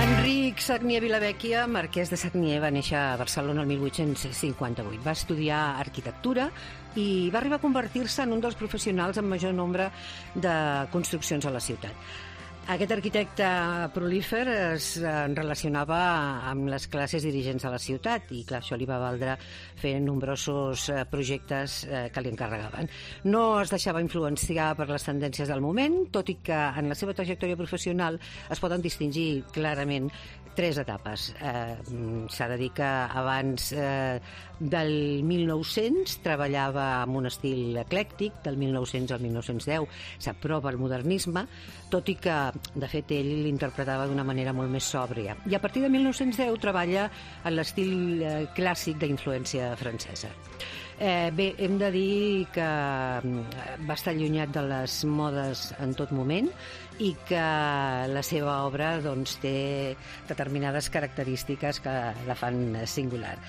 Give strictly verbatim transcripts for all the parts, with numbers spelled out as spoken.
Enric Sagnier Vilavecchia, marquès de Sagnier, va néixer a Barcelona el mil vuit-cents cinquanta-vuit. Va estudiar arquitectura i va arribar a convertir-se en un dels professionals amb major nombre de construccions a la ciutat. Aquest arquitecte prolífer es relacionava amb les classes dirigents de la ciutat i, clar, això li va valdre fer nombrosos projectes que li encarregaven. No es deixava influenciar per les tendències del moment, tot i que en la seva trajectòria professional es poden distingir clarament tres etapes. Eh, S'ha de dir que abans eh, del mil nou-cents treballava amb un estil eclèctic, del mil nou-cents al mil nou-cents deu s'aprova el modernisme, tot i que, de fet, ell l'interpretava d'una manera molt més sòbria. I a partir de mil nou-cents deu treballa en l'estil eh, clàssic d'influència francesa. Eh, bé, hem de dir que va estar allunyat de les modes en tot moment i que la seva obra doncs, té determinades característiques que la fan singular.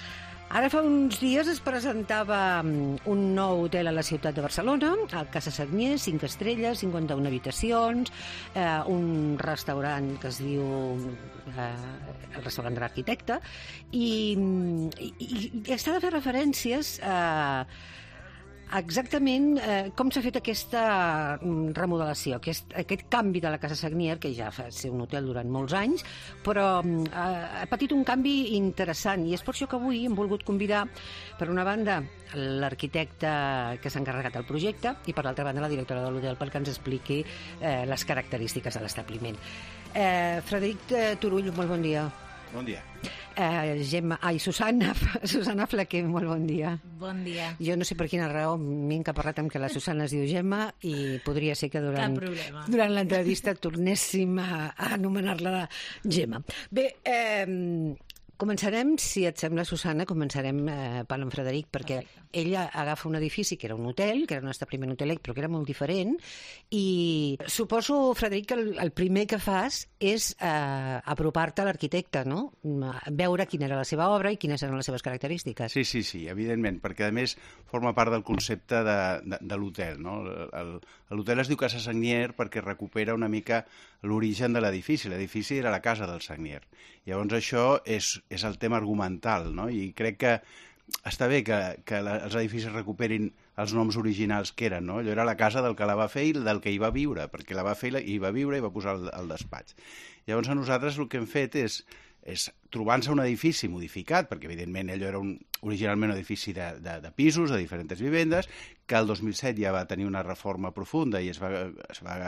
Ara fa uns dies es presentava un nou hotel a la ciutat de Barcelona, a Casa Sagnier, cinc estrelles, cinquanta-una habitacions, eh, un restaurant que es diu eh, el restaurant de l'arquitecte, i, i, i està de fer referències a exactament eh, com s'ha fet aquesta remodelació, aquest, aquest canvi de la Casa Sagnier, que ja va ser un hotel durant molts anys, però eh, ha patit un canvi interessant, i és per això que avui hem volgut convidar, per una banda, l'arquitecte que s'ha encarregat del projecte i, per l'altra banda, la directora de l'hotel perquè ens expliqui eh, les característiques de l'establiment. Eh, Frederic Turull, molt bon dia. Bon dia. Eh, Gemma, ai, Susana, Susana Flaquer, molt bon dia. Bon dia. Jo no sé per quina raó m'he encaparrat amb que la Susana es diu Gemma i podria ser que durant, durant l'entrevista tornéssim a, a anomenar-la Gemma. Bé, eh, començarem, si et sembla, Susana, començarem eh, per en Frederic, perquè Perfecte. Ella agafa un edifici que era un hotel, que era un establiment hotelec, però que era molt diferent, i suposo, Frederic, que el, el primer que fas és eh, apropar-te a l'arquitecte, no? Veure quina era la seva obra i quines eren les seves característiques. Sí, sí, sí, evidentment, perquè a més forma part del concepte de, de, de l'hotel, no? L'hotel es diu Casa Sagnier perquè recupera una mica l'origen de l'edifici. L'edifici era la casa del Sagnier. Llavors això és, és el tema argumental, no? I crec que està bé que, que la, els edificis recuperin els noms originals que eren, no? Allò era la casa del que la va fer i del que hi va viure, perquè la va fer i hi va viure i va posar el, el despatx. Llavors a nosaltres el que hem fet és, és trobant-se un edifici modificat, perquè evidentment allò era un, originalment un edifici de, de, de pisos, de diferents vivendes, que el dos mil set ja va tenir una reforma profunda i es va, es va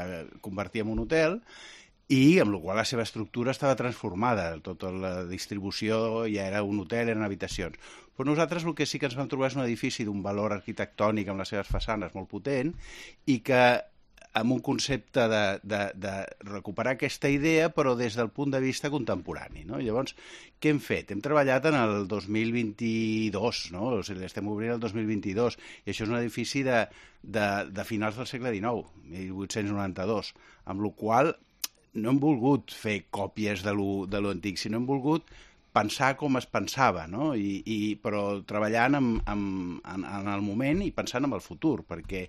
convertir en un hotel, i amb la qual la seva estructura estava transformada, tota la distribució ja era un hotel, eren habitacions. Però nosaltres el que sí que ens vam trobar és un edifici d'un valor arquitectònic amb les seves façanes molt potent i que amb un concepte de, de, de recuperar aquesta idea però des del punt de vista contemporani, no? Llavors, què hem fet? Hem treballat en el dos mil vint-i-dos, no? O sigui, estem obrint el dos mil vint-i-dos, i això és un edifici de, de, de finals del segle dinou, mil vuit-cents noranta-dos, amb la qual no hem volgut fer còpies de lo, de lo antic, sinó hem volgut pensar com es pensava, no? I, i, però treballant en, en, en el moment i pensant en el futur, perquè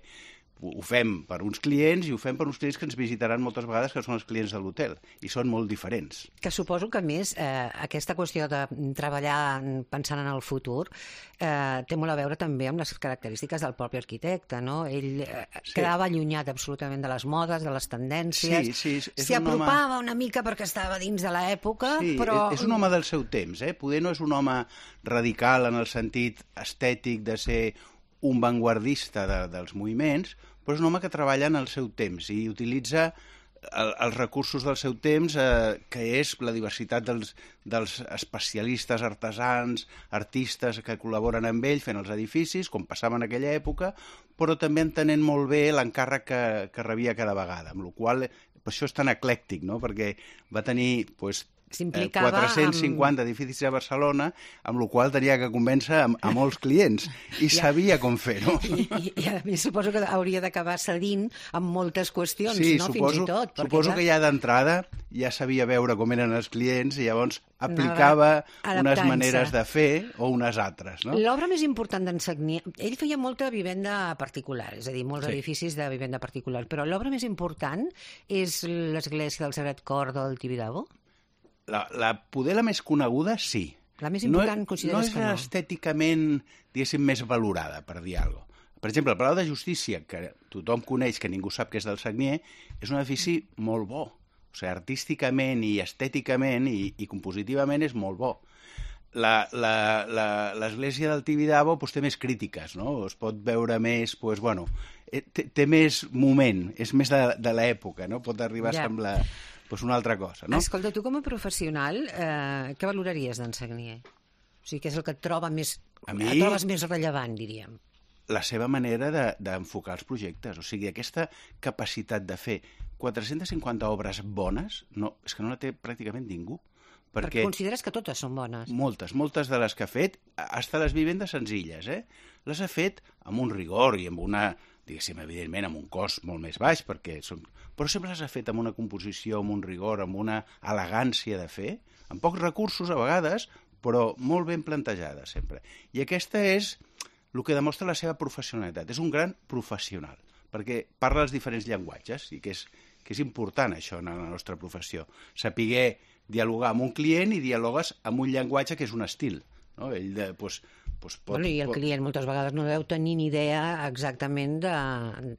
ho fem per uns clients i ho fem per uns clients que ens visitaran moltes vegades, que són els clients de l'hotel, i són molt diferents. Que suposo que, a més, eh, aquesta qüestió de treballar pensant en el futur eh, té molt a veure també amb les característiques del propi arquitecte, no? Ell eh, sí. quedava allunyat absolutament de les modes, de les tendències, sí, sí, s'hi apropava home... una mica perquè estava dins de l'època, sí, però... és un home del seu temps, eh? Poder no és un home radical en el sentit estètic de ser un vanguardista de, dels moviments, però és un home que treballa en el seu temps i utilitza el, els recursos del seu temps, eh, que és la diversitat dels, dels especialistes, artesans, artistes que col·laboren amb ell fent els edificis, com passava en aquella època, però també entenent molt bé l'encàrrec que, que rebia cada vegada, amb la qual per això és tan eclèctic, no? Perquè va tenir pues, quatre-cents cinquanta amb... edificis a Barcelona, amb la qual tenia que convèncer a, a molts clients, i ja. sabia com fer-ho. I, i, I a més suposo que hauria d'acabar cedint amb moltes qüestions, sí, no? Suposo, fins i tot. Suposo ja... que ja d'entrada ja sabia veure com eren els clients i llavors aplicava unes maneres de fer o unes altres. No? L'obra més important d'en Sagnier, ell feia molta vivenda particular, és a dir, molts sí. edificis de vivenda particular, però l'obra més important és l'església del Sagrat Cor del Tibidabo? la, la poder la més coneguda, sí. La més important no, consideres no que no? No és estèticament, diguéssim, més valorada, per dir alguna cosa. Per exemple, el Palau de Justícia, que tothom coneix, que ningú sap que és del Sagnier, és un edifici molt bo. O sigui, artísticament i estèticament i, i compositivament és molt bo. L'església del Tibidabo pues, té més crítiques, no? Es pot veure més, pues, bueno, té, té més moment, és més de, de l'època, no? Pot arribar ja. a semblar pues, una altra cosa, no? Escolta, tu com a professional, eh, què valoraries d'en Sagnier? O sigui, què és el que et troba més, a mi, et trobes més rellevant, diríem? La seva manera d'enfocar de, els projectes, o sigui, aquesta capacitat de fer quatre-centes cinquanta obres bones, no, és que no la té pràcticament ningú. Perquè, perquè consideres que totes són bones? Moltes, moltes de les que ha fet, hasta les vivendes senzilles, eh? Les ha fet amb un rigor i amb una, diguéssim, evidentment, amb un cost molt més baix, perquè són... però sempre les ha fet amb una composició, amb un rigor, amb una elegància de fer, amb pocs recursos a vegades, però molt ben plantejada sempre. I aquesta és el que demostra la seva professionalitat. És un gran professional, perquè parla els diferents llenguatges, i que és, que és important això en la nostra professió. Sapiguer dialogar amb un client i dialogues amb un llenguatge que és un estil. No? Ell de, pues, pues pot, bueno, I el client moltes vegades no deu tenir ni idea exactament de...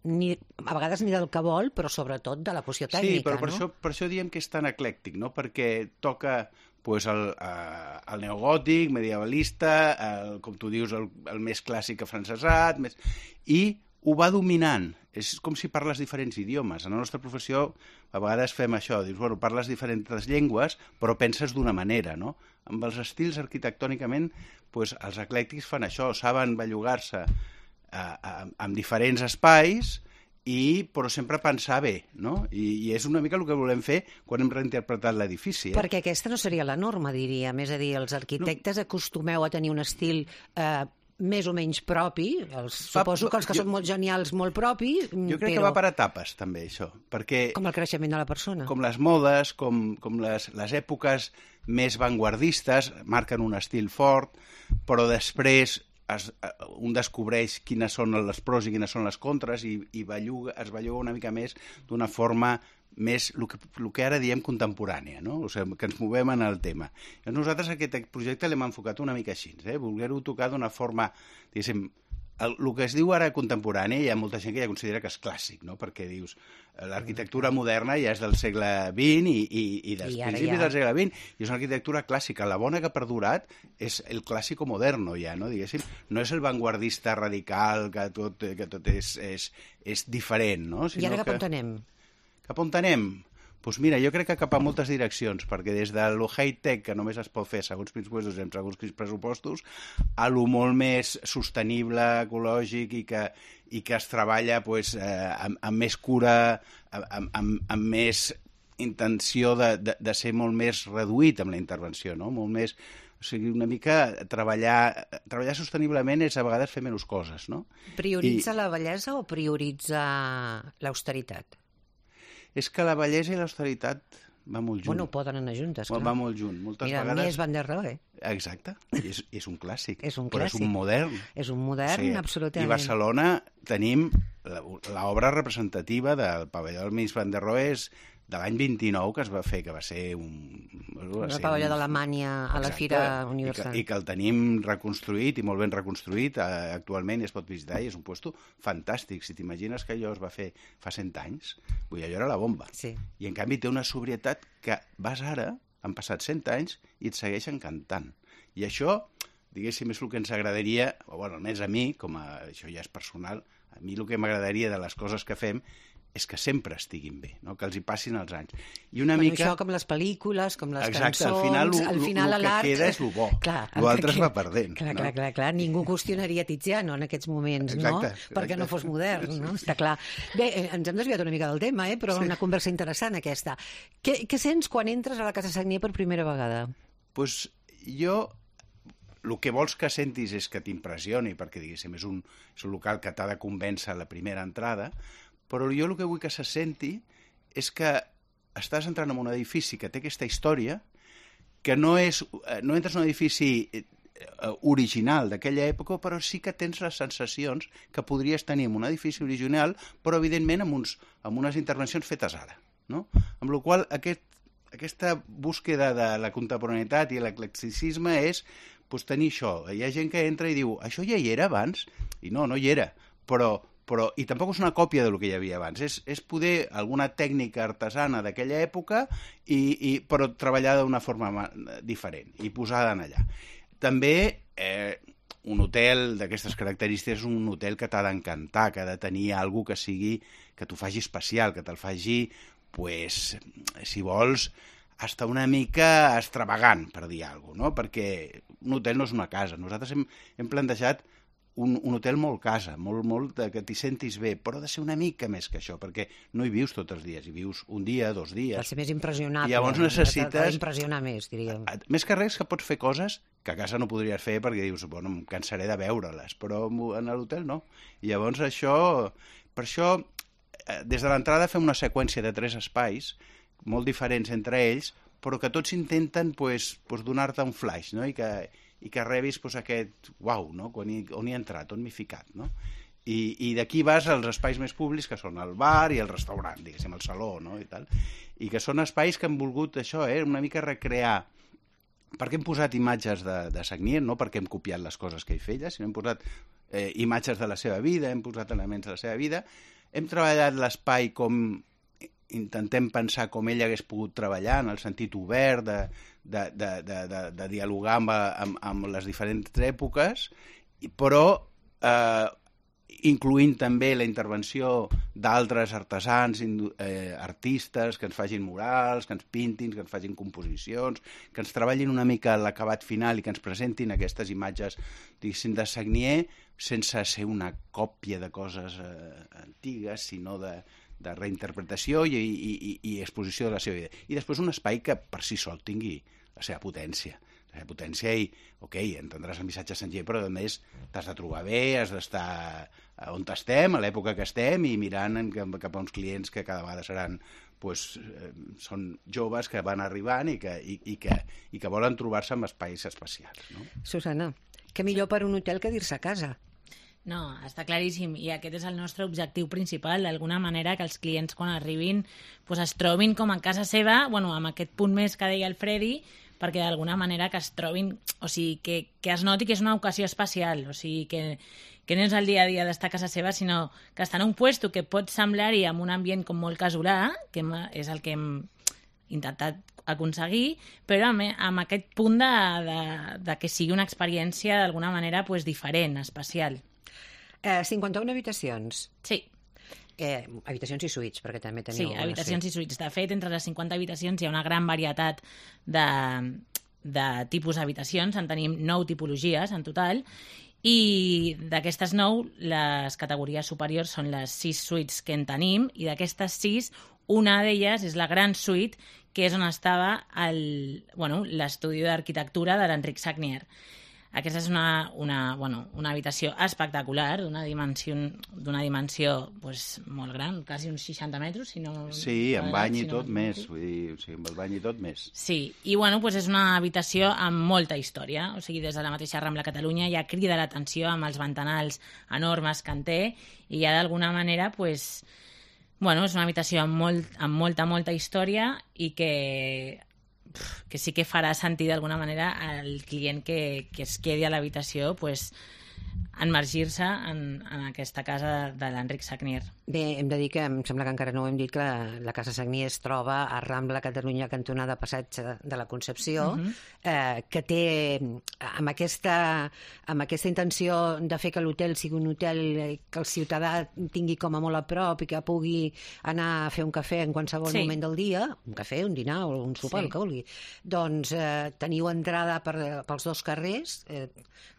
Ni, a vegades ni del que vol, però sobretot de la poció tècnica. Sí, però per, no? això, per això diem que és tan eclèctic, no? Perquè toca pues, el, eh, el neogòtic, medievalista, el, com tu dius, el, el més clàssic afrancesat, més... i ho va dominant. És com si parles diferents idiomes. En la nostra professió a vegades fem això, dius, bueno, parles diferents llengües, però penses d'una manera, no? Amb els estils arquitectònicament, pues, els eclèctics fan això, saben bellugar-se amb diferents espais, i, però sempre pensar bé, no? I, I és una mica el que volem fer quan hem reinterpretat l'edifici. Eh? Perquè aquesta no seria la norma, diríem. És a dir, els arquitectes no. acostumeu a tenir un estil eh, més o menys propi, els, suposo que els que jo, són molt genials, molt propi, jo crec però... que va per etapes, també, això, perquè... Com el creixement de la persona. Com les modes, com, com les, les èpoques més vanguardistes, marquen un estil fort, però després es, un descobreix quines són les pros i quines són les contres i, i belluga, es belluga una mica més d'una forma més, el que, el que ara diem contemporània, no? O sigui, que ens movem en el tema. I nosaltres aquest projecte l'hem enfocat una mica així, eh? Voler-ho tocar d'una forma, diguéssim, el, el que es diu ara contemporani, hi ha molta gent que ja considera que és clàssic, no? Perquè dius, l'arquitectura moderna ja és del segle vint i, i, i dels I principis ja... del segle vint, i és una arquitectura clàssica. La bona que ha perdurat és el clàssico moderno ja, no? Diguéssim, no és el vanguardista radical que tot, que tot és, és, és diferent, no? Sinó I ara cap que... on anem? Cap on anem? Doncs mira, jo crec que cap a moltes direccions, perquè des de lo high-tech, que només es pot fer segons quins pressupostos i amb segons quins pressupostos, a lo molt més sostenible, ecològic i que, i que es treballa pues, eh, amb, amb més cura, amb, amb, amb més intenció de, de, de ser molt més reduït amb la intervenció, no? Molt més... O sigui, una mica treballar, treballar sosteniblement és a vegades fer menys coses, no? Prioritza I... la bellesa o prioritza l'austeritat? És que la bellesa i l'austeritat va molt junt. Bueno, poden anar juntes, clar. Va molt junt. Moltes Mira, vegades... Mies van der Rohe. Exacte. És, és un clàssic. És un però clàssic. és un modern. És un modern, o sigui, absolutament. I a Barcelona tenim l'obra representativa del pavelló del Mies van der Rohe de l'any vint-i-nou que es va fer, que va ser un... El pavelló un... d'Alemanya a la Fira Universal. I que, I que el tenim reconstruït i molt ben reconstruït eh, actualment i es pot visitar i és un puesto fantàstic. Si t'imagines que allò es va fer fa cent anys, vull dir, allò era la bomba. Sí. I en canvi té una sobrietat que vas ara, han passat cent anys i et segueix encantant. I això, diguéssim, és el que ens agradaria, o bueno, almenys a mi, com a, això ja és personal, a mi el que m'agradaria de les coses que fem és que sempre estiguin bé, no? Que els hi passin els anys. I una bueno, mica... Això com les pel·lícules, com les Exacte, cançons... Al final, lo, al final el que queda és el bo. L'altre es va perdent. Clar, no? clar, clar, clar. Ningú qüestionaria Tiziano en aquests moments, exacte, no? Exacte. Perquè no fos modern, no? Està clar. Bé, ens hem desviat una mica del tema, eh? Però sí. Una conversa interessant aquesta. Què, què sents quan entres a la Casa Sagnier per primera vegada? Doncs pues jo... El que vols que sentis és que t'impressioni, perquè, diguéssim, és un, és un local que t'ha de convèncer a la primera entrada, però jo el que vull que se senti és que estàs entrant en un edifici que té aquesta història, que no, és, no entres en un edifici original d'aquella època, però sí que tens les sensacions que podries tenir en un edifici original, però evidentment amb, uns, amb unes intervencions fetes ara. No? Amb la qual cosa aquest aquesta búsqueda de la contemporaneïtat i l'eclecticisme és pues, tenir això. Hi ha gent que entra i diu, això ja hi era abans? I no, no hi era, però, però i tampoc és una còpia del que hi havia abans, és, és poder alguna tècnica artesana d'aquella època, i, i, però treballada d'una forma diferent i posada en allà. També eh, un hotel d'aquestes característiques és un hotel que t'ha d'encantar, que ha de tenir alguna que sigui, que t'ho faci especial, que te'l faci, pues, si vols, hasta una mica extravagant, per dir alguna cosa, no? Perquè un hotel no és una casa. Nosaltres hem, hem plantejat un, un hotel molt casa, molt, molt que t'hi sentis bé, però ha de ser una mica més que això, perquè no hi vius tots els dies, hi vius un dia, dos dies. Ha de ser més impressionable. I llavors necessites... Ha d'impressionar més, diríem. Més que res que pots fer coses que a casa no podries fer perquè dius, bueno, em cansaré de veure-les, però en l'hotel no. I llavors això... Per això, des de l'entrada fem una seqüència de tres espais, molt diferents entre ells, però que tots intenten pues, pues, donar-te un flash, no? I que, i que rebis pues, aquest uau, no? Quan hi, on hi he entrat, on m'he ficat, no? I, i d'aquí vas als espais més públics, que són el bar i el restaurant, diguéssim, el saló, no? I tal. I que són espais que han volgut això, eh? Una mica recrear, perquè hem posat imatges de, de Sagnier, no perquè hem copiat les coses que ell feia, sinó hem posat eh, imatges de la seva vida, hem posat elements de la seva vida, hem treballat l'espai com intentem pensar com ell hagués pogut treballar, en el sentit obert de, de, de, de, de, de dialogar amb, amb, amb les diferents èpoques, però eh, incloent també la intervenció d'altres artesans, eh, artistes, que ens facin murals, que ens pintin, que ens facin composicions, que ens treballin una mica l'acabat final i que ens presentin aquestes imatges, diguéssim, de Sagnier, sense ser una còpia de coses eh, antigues, sinó de de reinterpretació i, i, i, i exposició de la seva vida. I després un espai que per si sol tingui la seva potència. La seva potència i, ok, entendràs el missatge senzill, però a més t'has de trobar bé, has d'estar on estem, a l'època que estem, i mirant cap a uns clients que cada vegada seran, pues, eh, són joves que van arribant i que, i, i que, i que volen trobar-se en espais especials. No? Susana, què millor per un hotel que dir-se a casa? No, està claríssim, i aquest és el nostre objectiu principal, d'alguna manera que els clients quan arribin pues, es trobin com a casa seva, bueno, amb aquest punt més que deia el Freddy, perquè d'alguna manera que es trobin, o sigui, que, que es noti que és una ocasió especial, o sigui, que, que no és el dia a dia d'estar a casa seva, sinó que està en un puesto que pot semblar-hi amb un ambient com molt casolà, que és el que hem intentat aconseguir, però amb, amb aquest punt de, de, de que sigui una experiència d'alguna manera pues, diferent, especial. Eh, cinquanta-una habitacions. Sí. Eh, habitacions i suites, perquè també teniu... Sí, habitacions i suites. De fet, entre les cinquanta habitacions hi ha una gran varietat de, de tipus d'habitacions. En tenim nou tipologies en total, i d'aquestes nou, les categories superiors són les sis suites que en tenim, i d'aquestes sis, una d'elles és la gran suite, que és on estava el, bueno, l'estudi d'arquitectura de l'Enric Sagnier. Aquesta és una, una, bueno, una habitació espectacular, d'una dimensió, d'una dimensió pues, molt gran, quasi uns seixanta metres, si no... Sí, amb bany i si no tot més, vull dir, o sigui, amb el bany i tot més. Sí, i bueno, pues és una habitació amb molta història, o sigui, des de la mateixa Rambla Catalunya ja crida l'atenció amb els ventanals enormes que en té, i ja d'alguna manera, pues, bueno, és una habitació amb, molt, amb molta, molta història i que... que sí que farà sentir d'alguna manera al client que, que es quedi a l'habitació pues, enmergir-se en, en aquesta casa de, de l'Enric Sagnier. Bé, hem de dir que em sembla que encara no ho hem dit, que la, la Casa Sagnier es troba a Rambla Catalunya, cantonada Passatge de la Concepció, uh-huh. eh, que té, amb aquesta, amb aquesta intenció de fer que l'hotel sigui un hotel que el ciutadà tingui com a molt a prop i que pugui anar a fer un cafè en qualsevol sí. moment del dia, un cafè, un dinar o un sopar, sí. el que vulgui. Doncs eh, teniu entrada per, pels dos carrers, eh,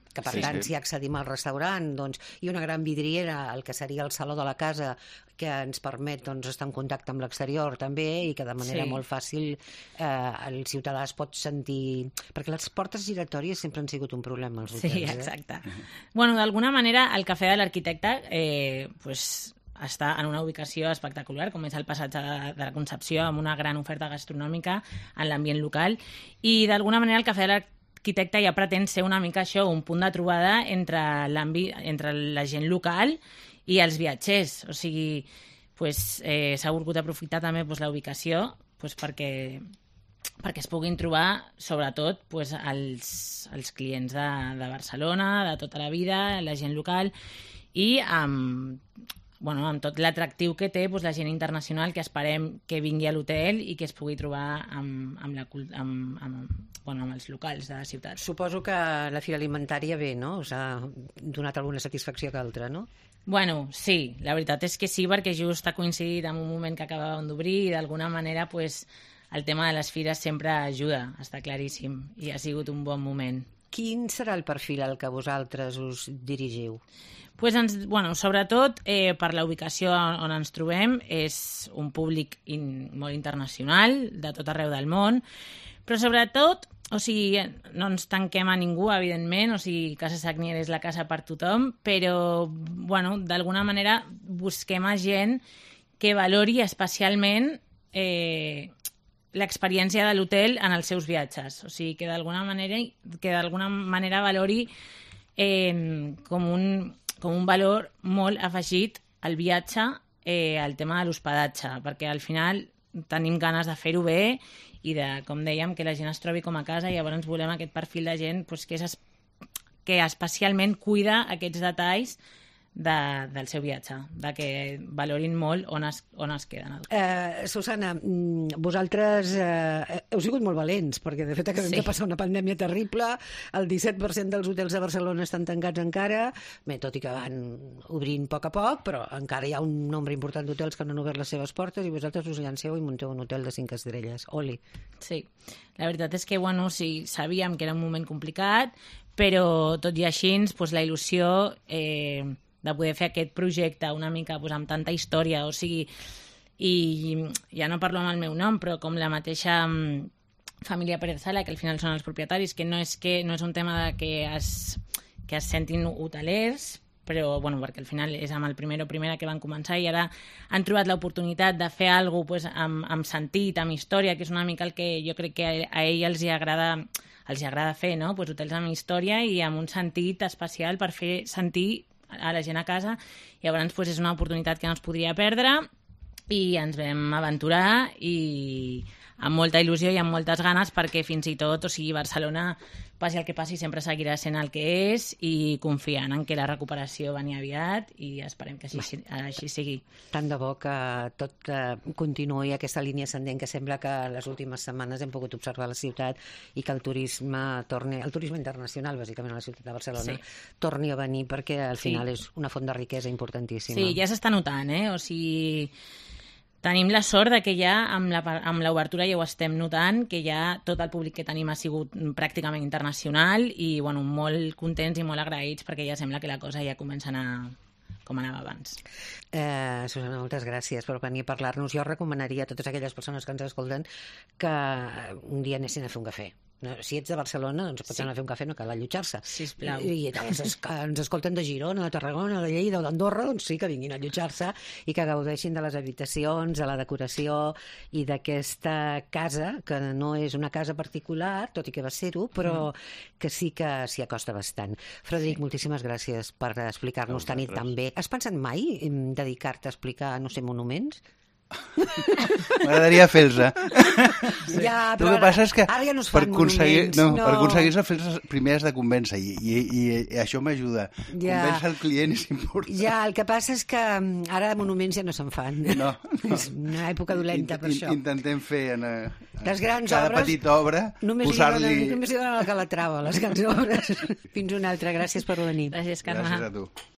que per sí, tant, sí. si accedim al restaurant, doncs, i una gran vidriera, el que seria el saló de la casa, que ens permet doncs, estar en contacte amb l'exterior també, i que de manera sí. molt fàcil eh, el ciutadà es pot sentir... Perquè les portes giratòries sempre han sigut un problema als hotels. Sí, exacte. Eh? Bueno, d'alguna manera, el cafè de l'arquitecte eh, pues, està en una ubicació espectacular, com és el passatge de, de la Concepció, amb una gran oferta gastronòmica en l'ambient local, i d'alguna manera el cafè de l'arquitecte l'arquitecte ja pretén ser una mica això, un punt de trobada entre, entre la gent local i els viatgers. O sigui, pues, eh, s'ha volgut aprofitar també pues, la ubicació pues, perquè perquè es puguin trobar, sobretot, pues, els, els clients de, de Barcelona, de tota la vida, la gent local, i amb, bueno, amb tot l'atractiu que té pues, la gent internacional que esperem que vingui a l'hotel i que es pugui trobar amb, amb, la, amb, amb, bueno, amb els locals de la ciutat. Suposo que la Fira Alimentària bé, no? Us ha donat alguna satisfacció que altra, no? Bueno, sí, la veritat és que sí, perquè just ha coincidit amb un moment que acabàvem d'obrir i d'alguna manera pues, el tema de les fires sempre ajuda, està claríssim, i ha sigut un bon moment. Quin serà el perfil al que vosaltres us dirigiu? Pues ens, bueno, sobretot eh, per la ubicació on ens trobem, és un públic in, molt internacional, de tot arreu del món, però sobretot, o sigui, no ens tanquem a ningú, evidentment, o sigui, Casa Sagnier és la casa per tothom, però, bueno, d'alguna manera busquem a gent que valori especialment eh, l'experiència de l'hotel en els seus viatges. O sigui, que d'alguna manera, que d'alguna manera valori eh, com, un, com un valor molt afegit al viatge, eh, al tema de l'hospedatge, perquè al final tenim ganes de fer-ho bé i de, com dèiem, que la gent es trobi com a casa, i llavors volem aquest perfil de gent pues, que, és, que especialment cuida aquests detalls de, del seu viatge, de que valorin molt on es, on es queden. Eh, Susana, vosaltres eh, heu sigut molt valents, perquè de fet acabem sí. de passar una pandèmia terrible, el disset per cent dels hotels de Barcelona estan tancats encara, bé, tot i que van obrint a poc a poc, però encara hi ha un nombre important d'hotels que no han obert les seves portes i vosaltres us llanceu i munteu un hotel de cinc estrelles. Oli. Sí, la veritat és que, bueno, sí, sabíem que era un moment complicat, però tot i així, pues, la il·lusió eh, de poder fer aquest projecte una mica pues, amb tanta història, o sigui, i ja no parlo amb el meu nom, però com la mateixa família Pérez Sala, que al final són els propietaris, que no és, que, no és un tema de que es, que es sentin hotelers, però bueno, perquè al final és amb el primer o primera que van començar i ara han trobat l'oportunitat de fer alguna cosa pues, amb, amb sentit, amb història, que és una mica el que jo crec que a, a ells els hi agrada, els hi agrada fer, no? Pues, hotels amb història i amb un sentit especial per fer sentir a la gent a casa. Llavors pues, és una oportunitat que no es podria perdre i ens vam aventurar i amb molta il·lusió i amb moltes ganes, perquè fins i tot, o sigui, Barcelona, passi el que passi, sempre seguirà sent el que és, i confiant en que la recuperació venia aviat i esperem que així, així sigui. Tant de bo que tot eh, continuï aquesta línia ascendent que sembla que les últimes setmanes hem pogut observar a la ciutat i que el turisme torni, el turisme internacional, bàsicament a la ciutat de Barcelona, sí. torni a venir, perquè al final sí. és una font de riquesa importantíssima. Sí, ja s'està notant, eh? O sigui... Tenim la sort de que ja amb la, amb l'obertura ja ho estem notant, que ja tot el públic que tenim ha sigut pràcticament internacional i bueno, molt contents i molt agraïts perquè ja sembla que la cosa ja comença a anar com anava abans. Eh, Susana, moltes gràcies per venir a parlar-nos. Jo recomanaria a totes aquelles persones que ens escolten que un dia anessin a fer un cafè. No, si ets de Barcelona, doncs pots sí. anar a fer un cafè, no cal allotjar-se. Sisplau. I, i els que ens escolten de Girona, de Tarragona, de Lleida o d'Andorra, doncs sí que vinguin a allotjar-se i que gaudeixin de les habitacions, de la decoració i d'aquesta casa, que no és una casa particular, tot i que va ser-ho, però mm. que sí que s'hi acosta bastant. Frederic, sí. moltíssimes gràcies per explicar-nos tan i tan bé. Has pensat mai en dedicar-te a explicar, no sé, monuments? M'agradaria fer-los. Sí. Ja, el que passa és que ara ja no es per fan aconseguir, monuments. No, No. per aconseguir-se fer-los primer has de convèncer i, i, i, i això m'ajuda. Ja. Convèncer el client és important. Ja, el que passa és que ara monuments ja no se'n fan. No, no. És una època dolenta per in, això. Intentem fer en a, les grans cada obres, petita obra només posar-li... li donen, només li donen el Calatrava, les grans obres. Fins una altra. Gràcies per venir. Gràcies, Carme. Gràcies a tu.